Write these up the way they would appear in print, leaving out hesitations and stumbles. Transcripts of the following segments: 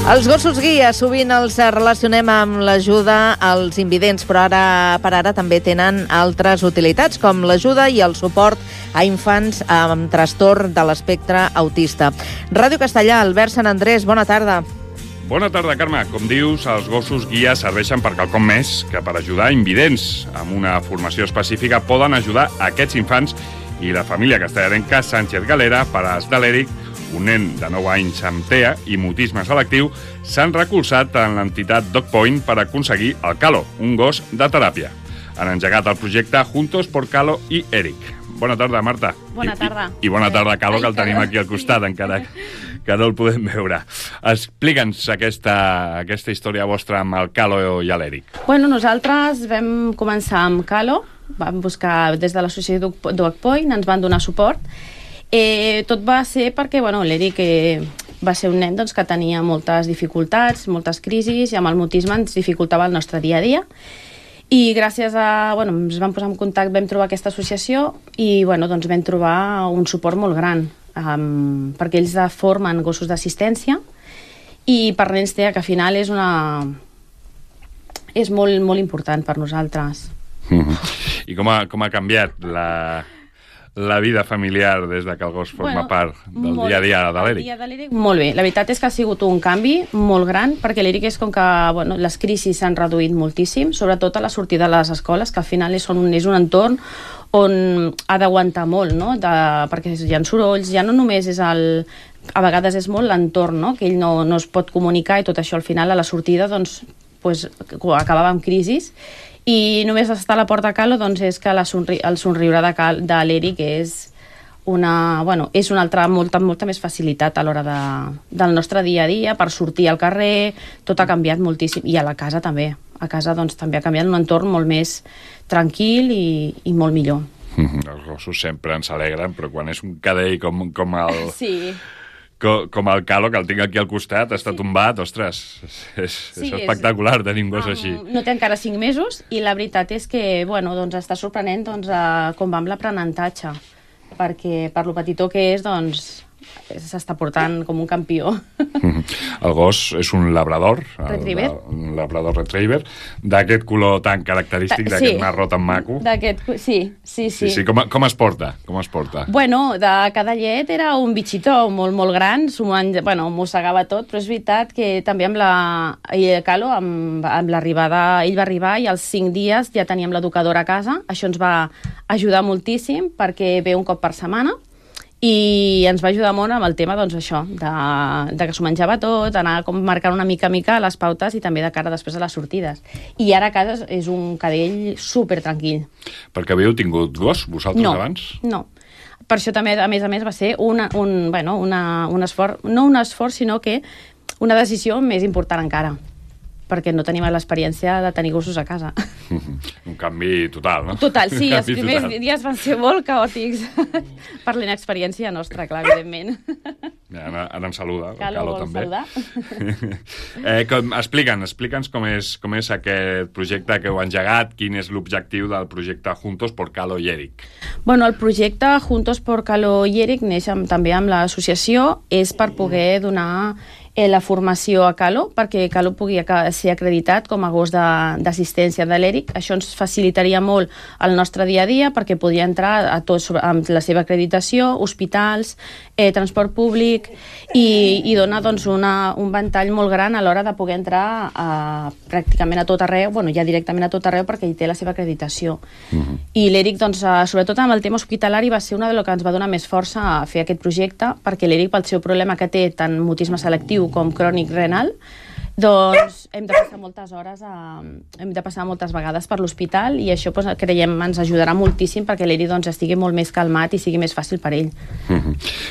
Els gossos guia sovint els relacionem amb l'ajuda als invidents, però per ara també tenen altres utilitats, com l'ajuda i el suport a infants amb trastorn de l'espectre autista. Ràdio Castellà, Albert Sant Andrés, bona tarda. Bona tarda, Carme. Com dius, els gossos guia serveixen per quelcom més que per ajudar invidents. Amb una formació específica poden ajudar aquests infants i la família castellarenca Sánchez Galera, pares de l'Eric, un nen de 9 anys amb TEA i mutisme selectiu, s'han recolzat en l'entitat DogPoint per aconseguir el Calo, un gos de teràpia. Han engegat el projecte Juntos por Calo i Eric. Bona tarda, Marta. Bona tarda. I bona tarda, Calo, que el tenim aquí al costat, encara que no el podem veure. Explica'ns aquesta història vostra amb el Calo i l'Eric. Bueno, nosaltres vam començar amb Calo, vam buscar des de l'associació DogPoint, ens van donar suport. Tot va ser perquè l'Eric va ser un nen que tenia moltes dificultats, moltes crisis, i amb el mutisme ens dificultava el nostre dia a dia. I gràcies a... ens vam posar en contacte, vam trobar aquesta associació i vam trobar un suport molt gran, perquè ells formen gossos d'assistència i per nens TEA, que al final és molt, molt important per nosaltres. I com ha canviat la vida familiar des que el gos forma part del dia a dia de l'Eric? Molt bé, la veritat és que ha sigut un canvi molt gran, perquè l'Eric és com que les crisis s'han reduït moltíssim, sobretot a la sortida de les escoles, que al final és un entorn on ha d'aguantar molt, no? Perquè hi ha sorolls, ja no només és a vegades és molt l'entorn, no? Que ell no es pot comunicar, i tot això al final a la sortida acabava amb crisis. I només estar a la porta de Calo és que el somriure de l'Eric és una altra molta més facilitat a l'hora del nostre dia a dia, per sortir al carrer. Tot ha canviat moltíssim, i a la casa també. A casa també ha canviat, un entorn molt més tranquil i molt millor. Els gossos sempre ens alegren, però quan és un cadell com el... Sí. Com el Calo, que el tinc aquí al costat, està tombat, ostres, és espectacular tenir un gos així. No té encara 5 mesos, i la veritat és que està sorprenent com va amb l'aprenentatge, perquè per lo petitó que és, s'està portant com un campió. El gos és un labrador, un labrador retriever, d'aquest color tan característic, d'aquest marró tan maco. Sí. Com es porta? De cada llet era un bitxito molt, molt gran, mossegava tot, però és veritat que també amb Calo, amb l'arribada, ell va arribar i als 5 dies ja teníem l'educadora a casa. Això ens va ajudar moltíssim, perquè ve un cop per setmana, i ens va ajudar molt amb el tema de que s'ho menjava tot, anar marcant una mica les pautes, i també de cara després a les sortides. I ara a casa és un cadell super tranquil. Perquè havíeu tingut gos, vosaltres, abans? No. Per això també, a més, va ser un esforç, no un esforç, sinó que una decisió més important encara, perquè no tenim l'experiència de tenir gossos a casa. Un canvi total, no? Total, sí, els primers dies van ser molt caòtics per la inexperiència nostra, clar, evidentment. Ara em saluda, el Calo també. Explica'ns com és aquest projecte que heu engegat, quin és l'objectiu del projecte Juntos por Calo i Eric. El projecte Juntos por Calo i Eric neix també amb l'associació, és per poder donar la formació a Calo, perquè Calo pugui ser acreditat com a gos d'assistència de l'Eric. Això ens facilitaria molt el nostre dia a dia, perquè podria entrar a tots amb la seva acreditació, hospitals, transport públic, i dona un ventall molt gran a l'hora de poder entrar pràcticament a tot arreu, ja directament a tot arreu, perquè ell té la seva acreditació. I l'Eric, sobretot amb el tema hospitalari, va ser una de lo que ens va donar més força a fer aquest projecte, perquè l'Eric, pel seu problema que té, tant mutisme selectiu com crònic renal, hem de passar moltes vegades per l'hospital, i això creiem ens ajudarà moltíssim perquè l'Eric estigui molt més calmat i sigui més fàcil per ell.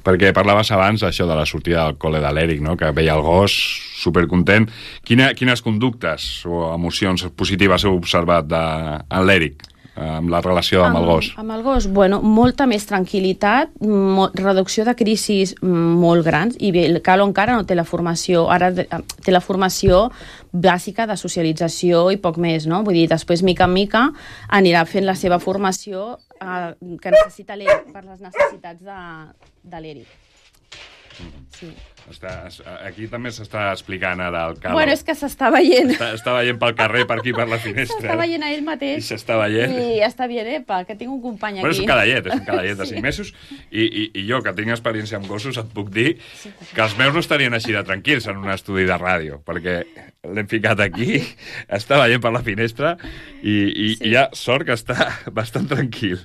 Perquè parlaves abans això de la sortida del col·le de l'Eric, no? Que veia el gos supercontent. Quines conductes o emocions positives heu observat en l'Eric? amb la relació amb el gos? Amb el gos, bueno, molta més tranquil·litat, reducció de crisis molt grans, i bé, el Calo encara no té la formació, ara té la formació bàsica de socialització i poc més, no? Vull dir, després, mica en mica, anirà fent la seva formació que necessita l'Eric per les necessitats de l'Eric. sí. Aquí també s'està explicant ara el Calo. Bueno, és que s'està veient. Està veient pel carrer, per aquí, per la finestra. S'està veient a ell mateix. I s'està veient. I està bien, epa, que tinc un company aquí. Bueno, és un cadallet de 5 mesos. I jo, que tinc experiència amb gossos, et puc dir que els meus no estarien així de tranquils en un estudi de ràdio, perquè l'hem ficat aquí, està veient per la finestra i hi ha sort que està bastant tranquil.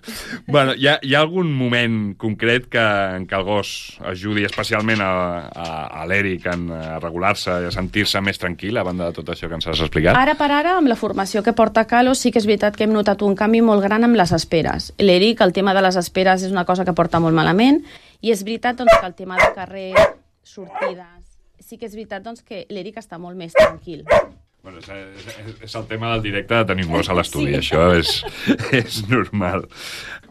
Bueno, hi ha algun moment concret en què el gos ajudi especialment a l'Eric a regular-se i a sentir-se més tranquil, a banda de tot això que ens has explicat? Ara per ara, amb la formació que porta Calo, sí que és veritat que hem notat un canvi molt gran amb les esperes. L'Eric, el tema de les esperes és una cosa que porta molt malament, i és veritat doncs, que el tema de carrer, sortides, sí que és veritat doncs, que l'Eric està molt més tranquil. Bueno, és el tema del directe de tenir un gos a l'estudi, sí. Això és normal.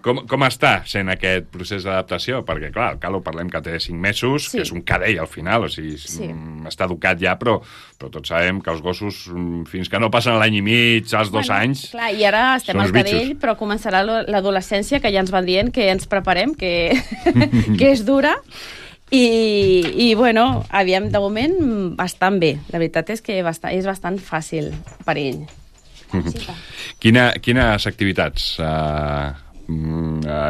Com està sent aquest procés d'adaptació? Perquè, clar, el Calo parlem que té 5 mesos, sí. Que és un cadell al final, o sigui, sí. Està educat ja, però tots sabem que els gossos, fins que no passen l'any i mig, als 2 anys... Clar, i ara estem al cadell, però començarà l'adolescència, que ja ens van dient que ens preparem, que és dura... I bueno, aviam, de moment, bastant bé. La veritat és que és bastant fàcil per ell. Quines activitats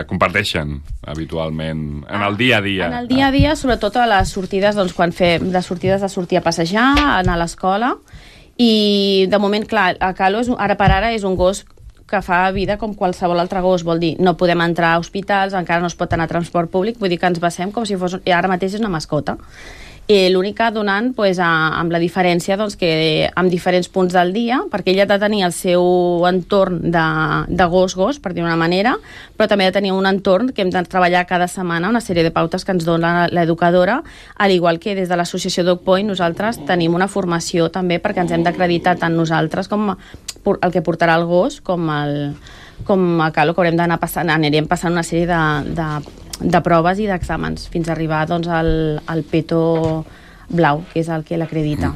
comparteixen habitualment en el dia a dia? En el dia a dia, sobretot a les sortides, doncs, quan fem les sortides de sortir a passejar, anar a l'escola, i de moment, clar, a Calo, ara per ara, és un gos que fa vida com qualsevol altre gos, vol dir, no podem entrar a hospitals, encara no es pot anar a transport públic, vull dir que ens basem com si fos... Ara mateix és una mascota. L'única donant, pues, amb la diferència doncs, que en diferents punts del dia, perquè ell ha de tenir el seu entorn de gos, per dir una manera, però també ha de tenir un entorn que hem de treballar cada setmana, una sèrie de pautes que ens dona l'educadora, al igual que des de l'associació Dog Point nosaltres tenim una formació també perquè ens hem d'acreditar tant nosaltres com el que portarà el gos com a Calo, que haurem d'anar passant, anirem passant una sèrie de proves i d'exàmens fins a arribar doncs, al peto blau, que és el que l'acredita.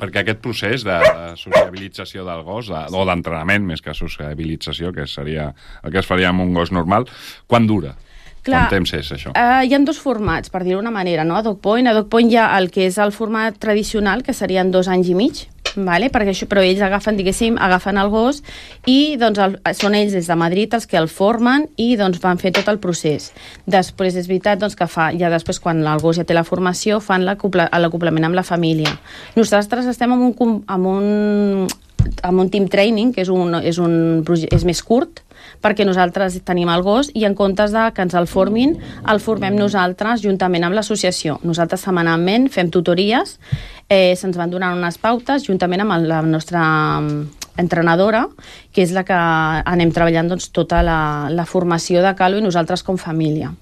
Perquè aquest procés de sociabilització del gos, o d'entrenament més que sociabilització, que seria el que es faria amb un gos normal, quan dura? Clar, quant temps és això? Hi ha 2 formats, per dir-ho d'una manera, no? A Dog Point hi ha el que és el format tradicional, que serien 2 anys i mig, vale? Però ells agafen el gos i doncs, són ells des de Madrid els que el formen i doncs, van fer tot el procés. Després és veritat doncs, que després quan el gos ja té la formació fan l'acoplament amb la família. Nosaltres estem amb un team training, que és més curt, perquè nosaltres tenim el gos i en comptes de que ens el formem nosaltres juntament amb l'associació. Nosaltres setmanalment fem tutories, se'ns van donant unes pautes juntament amb la nostra entrenadora, que és la que anem treballant doncs, tota la formació de Calo i nosaltres com família.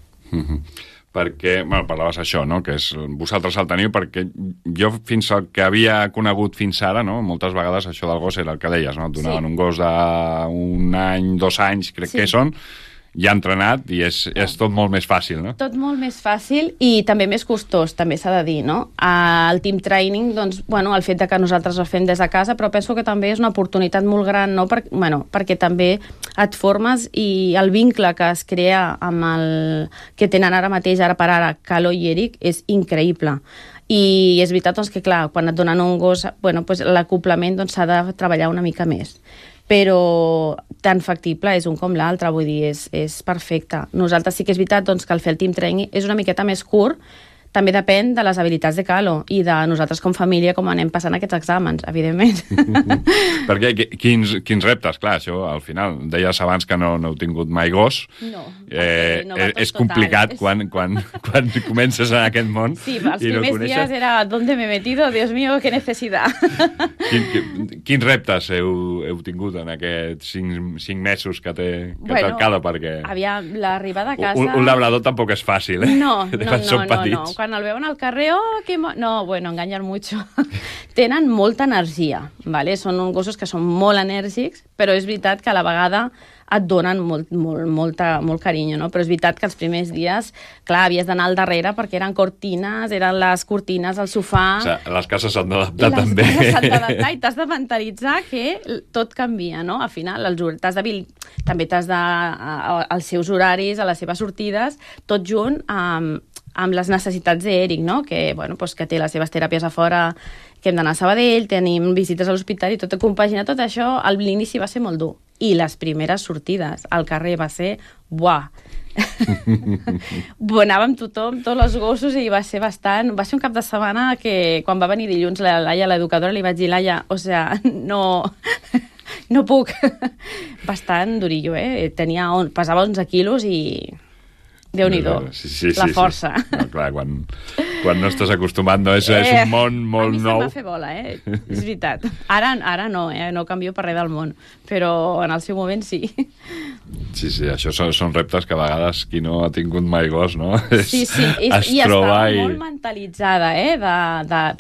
Perquè, bueno, parlaves això, no?, que vosaltres el teniu, perquè jo fins al que havia conegut fins ara, no?, moltes vegades això del gos era el que deies, no?, et donaven un gos d'un any, 2 anys, crec que són, ja entrenat i és tot molt més fàcil, no? Tot molt més fàcil i també més costós, també s'ha de dir, no? El team training, doncs, bueno, el fet que nosaltres el fem des de casa, però penso que també és una oportunitat molt gran, no? Perquè també et formes i el vincle que es crea amb el que tenen ara mateix, ara per ara, Calo i Eric, és increïble. I és veritat doncs, que, clar, quan et donen un gos, bueno, doncs, l'acoplament doncs, s'ha de treballar una mica més. Però tan factible és un com l'altre, vull dir, és perfecte. Nosaltres sí que és veritat doncs, que el fer el team training és una miqueta més curt, també depèn de les habilitats de Calo i de nosaltres com família, com anem passant aquests exàmens, evidentment. Perquè quins reptes, clar, això al final, deies abans que no heu tingut mai gos. No. És complicat quan comences en aquest món. Sí, els primers dies era ¿dónde me he metido? Dios mío, qué necesidad. Quins reptes heu tingut en aquests 5 mesos que té el Calo? Perquè l'arribada a casa... Un labrador tampoc és fàcil, eh? No. Quan el veuen al carrer, no, bueno, enganyen mucho. Tenen molta energia, ¿vale? Són uns gossos que són molt enèrgics, però és veritat que a la vegada et donen molt carinyo, no? Però és veritat que els primers dies, clar, havies d'anar al darrere perquè eren les cortines, el sofà... O sigui, les cases s'han d'adaptar també. Les cases s'han d'adaptar i t'has de mentalitzar que tot canvia, no? Al final, també els seus horaris, a les seves sortides, tot junt amb les necessitats d'Eric, no? Que, bueno, pues, que té les seves teràpies a fora, que hem d'anar a Sabadell, tenim visites a l'hospital i tot compaginar tot això, a l'inici va ser molt dur. I les primeres sortides al carrer va ser, buah, anàvem tothom, tots els gossos, i va ser un cap de setmana que quan va venir dilluns la Laia, l'educadora, li vaig dir, Laia, o sea, no puc. Bastant durillo, pesava 11 quilos i Déu-n'hi-do, la força. No, clar, quan no estàs acostumat, no? És un món molt nou. A mi se'm va fer bola, és veritat. Ara no, no canvio per res del món, però en el seu moment sí. Sí, això són reptes que a vegades qui no ha tingut mai gos, no? Sí, i estava molt mentalitzada,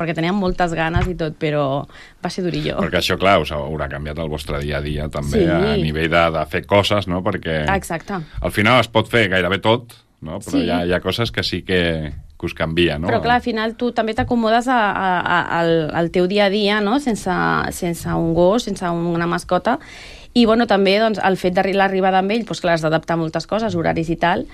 perquè teníem moltes ganes i tot, però va ser durillo. Perquè això, clar, us haurà canviat el vostre dia a dia, també, a nivell de fer coses, no? Perquè al final es pot fer gairebé tot, no? Però hi ha coses que sí que us canvia, no? Però clar, al final tu també t'acomodes al teu dia a dia, no? Sense un gos, sense una mascota. I bueno, també doncs, el fet de l'arribada amb ell, doncs, clar, has d'adaptar moltes coses, horaris i tal,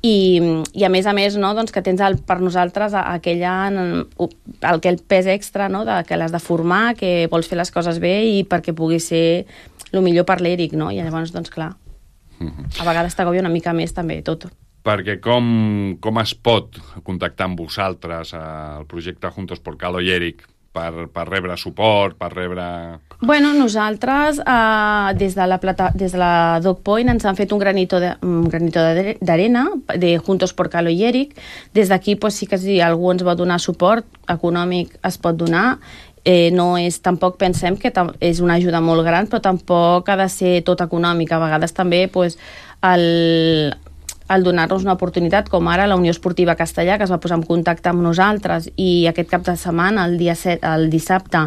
i a més, no, doncs, que tens per nosaltres aquell pes extra, no, que l'has de formar, que vols fer les coses bé i perquè pugui ser el millor per l'Eric, no? I llavors, doncs clar, a vegades t'agobia una mica més també tot. Perquè com es pot contactar amb vosaltres al projecte Juntos por Calo i Eric per rebre suport, per rebre... Bueno, nosaltres, des de la Dog Point, ens han fet un granito d'arena de Juntos por Calo i Eric. Des d'aquí, pues, sí que si algú ens vol donar suport econòmic, es pot donar. No és, tampoc pensem que és una ajuda molt gran, però tampoc ha de ser tot econòmic. A vegades també, pues, el donar-nos una oportunitat, com ara la Unió Esportiva Castellà, que es va posar en contacte amb nosaltres, i aquest cap de setmana, el dissabte,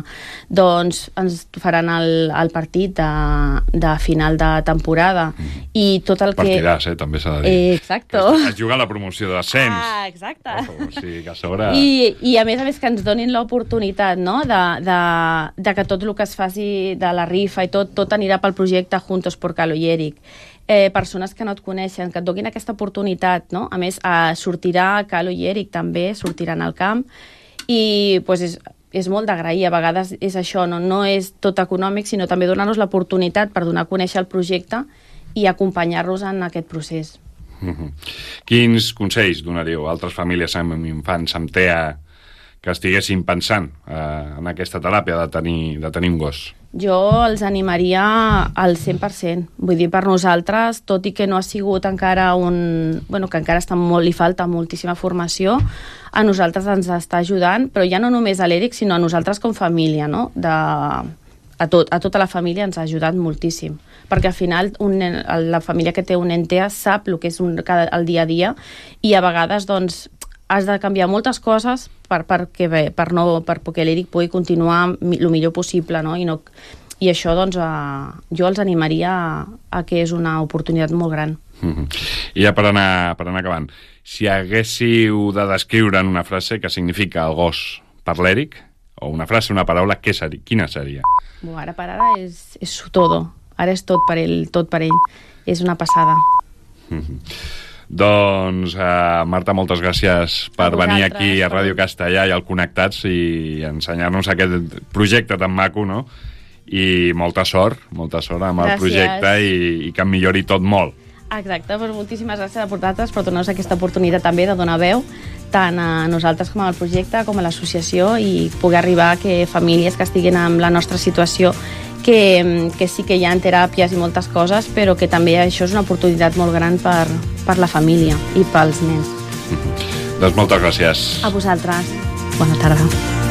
doncs ens faran el partit de final de temporada, i tot el que... Partidàs, també s'ha de dir. Exacte. Es juga la promoció d'ascens. Exacte. O sigui, que a sobre... I a més que ens donin l'oportunitat, no?, de que tot el que es faci de la rifa i tot anirà pel projecte Juntos por Calo i Eric. Persones que no et coneixen, que et donin aquesta oportunitat, no? A més, sortirà Calo i Eric també, sortiran al camp, i pues, és molt d'agrair. A vegades és això, no és tot econòmic, sinó també donar-nos l'oportunitat per donar a conèixer el projecte i acompanyar-los en aquest procés. Quins consells donaríeu a altres famílies amb infants amb TEA que estiguessin pensant en aquesta teràpia de tenir un gos? Jo els animaria al 100%. Vull dir, per nosaltres, tot i que no ha sigut encara que encara li falta moltíssima formació, a nosaltres ens està ajudant, però ja no només a l'Eric, sinó a nosaltres com família, no? A tota la família ens ha ajudat moltíssim, perquè al final la família que té un nen TEA sap el que és el dia a dia, i a vegades doncs has de canviar moltes coses perquè l'Eric pugui continuar el millor possible, no? I això, doncs, jo els animaria a que és una oportunitat molt gran. I ja per anar acabant, si haguéssiu de descriure en una frase què significa el gos per l'Eric, o una frase, una paraula, quina seria? Ara per ara és todo. Ara és tot per ell. És una passada. Doncs, Marta, moltes gràcies per venir aquí a Ràdio Castellà i al Connectats i ensenyar-nos aquest projecte tan maco, no? I molta sort amb el projecte i que millori tot molt. Exacte, doncs moltíssimes gràcies a vosaltres per donar-nos aquesta oportunitat també de donar veu tant a nosaltres com al projecte, com a l'associació, i poder arribar a que famílies que estiguin en la nostra situació, que sí que hi ha teràpies i moltes coses, però que també això és una oportunitat molt gran per la família i pels nens. Doncs moltes gràcies. A vosaltres. Bona tarda.